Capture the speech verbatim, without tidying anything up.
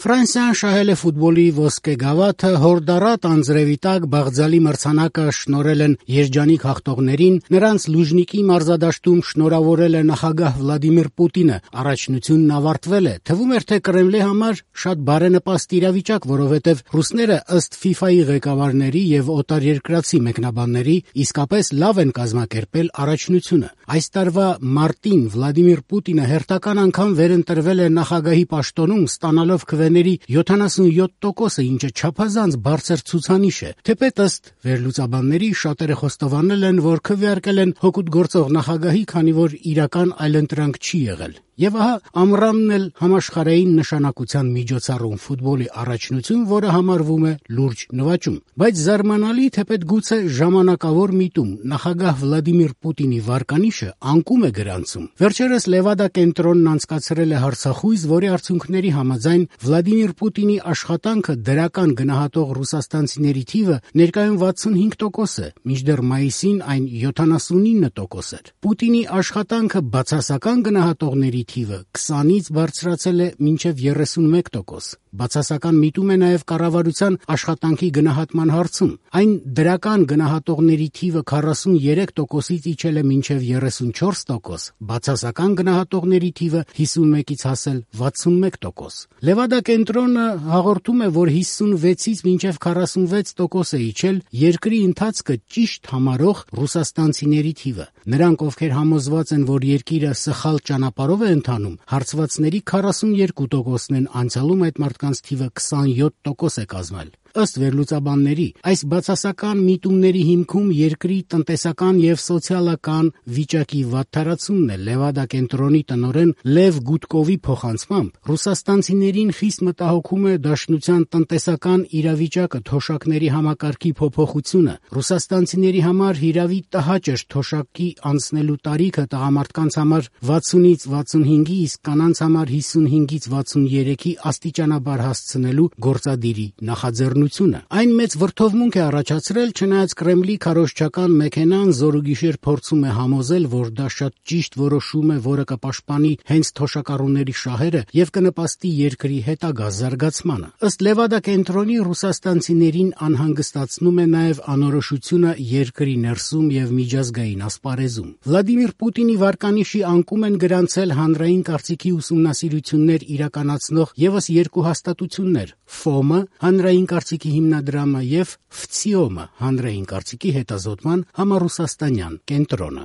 Ֆրանսիան շահել է ֆուտբոլի ոսկե գավաթը, հորդառատ անձրևի տակ Բաղձալի մրցանակը շնորհել են երջանիկ հաղթողներին, նրանց Լուժնիկի մարզադաշտում շնորհավորել է նախագահ Վլադիմիր Պուտինը, առաջնությունն ավարտվել է, թվում էր թե Կրեմլի համար շատ բարենպաստ իրավիճակ, որովհետև ռուսները ըստ ֆիֆայի ղեկավարների եւ օտարերկրացի մեկնաբանների իսկապես լավ են կազմակերպել առաջնությունը։ Այս տարվա մարտին Վլադիմիր Պուտինը հերթական անգամ վերընտրվել է նախագահի պաշտոնում, ստանալով քվեների յոթանասունյոթ տոկոսը, ինչը չափազանց բարձր ցուցանիշ է։ Թեպետ ըստ վերլուծաբանների շատերը խոստովանել են, որ քվեարկել են հօգուտ գործող նախագահի, քանի որ իրական այլընտրանք չի եղել։ Եվ ահա ամռանն էլ համաշխարհային նշանակության միջոցառում ֆուտբոլի առաջնություն, որը համարվում է լուրջ նվաճում։ Բայց զարմանալի, թեպետ գուցե ժամանակավոր միտում, նախագահ Վլադիմիր Պուտինի վարկանիշը անկում է գրանցում։ Վերջերս Լևադա կենտրոնն անցկացրել է հարցախույզ, որի արդյունքների համաձայն Վլադիմիր Պուտինի աշխատանքը դրական գնահատող ռուսաստանցիների թիվը ներկայում վաթսունհինգ տոկոս է, մինչդեռ մայիսին այն յոթանասունինը տոկոս էր։ Պուտինի աշխատանքը բացասական գնահատողների թիվը քսանից բարձրացել է մինչև երեսունմեկ տոկոս։ Բացասական միտում է նաև կառավարության աշխատանքի գնահատման հարցում։ Այն դրական գնահատողների թիվը քառասուներեք տոկոսից իջել է մինչև երեսունչորս տոկոս, բացասական գնահատողների թիվը հիսունմեկից հասել վաթսունմեկ տոկոս։ Լևադա կենտրոնը հաղորդում է, որ հիսունվեցից մինչև քառասունվեց տոկոս է իջել երկրի ընթացքը ճիշտ համարող ռուսաստանցիների թիվը։ Նրանք, ովքեր համոզված են, որ երկիրը սխալ ճանապարհով է ընթանում, հարցվածների քառասուներկու տոկոսն են անցյալում այդ մարդկանց թիվը քսանյոթ տոկոս է կազմել։ Ըստ վերլուծաբանների, այս բացասական միտումների հիմքում երկրի տնտեսական եւ սոցիալական վիճակի վատթարացումն է։ Լևադա կենտրոնի տնօրեն Լև Գուտկովի փոխանցմամբ ռուսաստանցիներին խիստ մտահոգում է դաշնության տնտեսական իրավիճակը, թոշակների համակարգի փոփոխությունը։ Ռուսաստանցիների համար հիրավի տհաճ էր թոշակի անցնելու տարիքը, տղամարդկանց համար վաթսունից վաթսունհինգի, իսկ կանանց համար հիսունհինգից վաթսուներեքի աստիճանաբար հասցնելու գործադիրի նախաձեռնությունը։ Այն մեծ վրդովմունք է առաջացրել, չնայած Կրեմլի քարոզչական մեքենան զորուգիշեր փորձում է համոզել, որ դա շատ ճիշտ որոշում է, որը կպաշտպանի հենց թոշակառուների շահերը եւ կնպաստի երկրի հետագա զարգացմանը։ Ըստ Լևադա կենտրոնի, ռուսաստանցիներին անհանգստացնում է նաեւ անորոշությունը երկրի ներսում եւ միջազգային ասպարեզում։ Վլադիմիր Պուտինի վարկանիշի անկում են գրանցել հանրային կարծիքի ուսումնասիրություններ իրականացնող եւս երկու հաստատություններ՝ ֆոմը, հանրային կարծիքի հիմնադրամը, եւ վցիոմը, հանրային կարծիքի հետազոտման համառուսաստանյան կենտրոնը։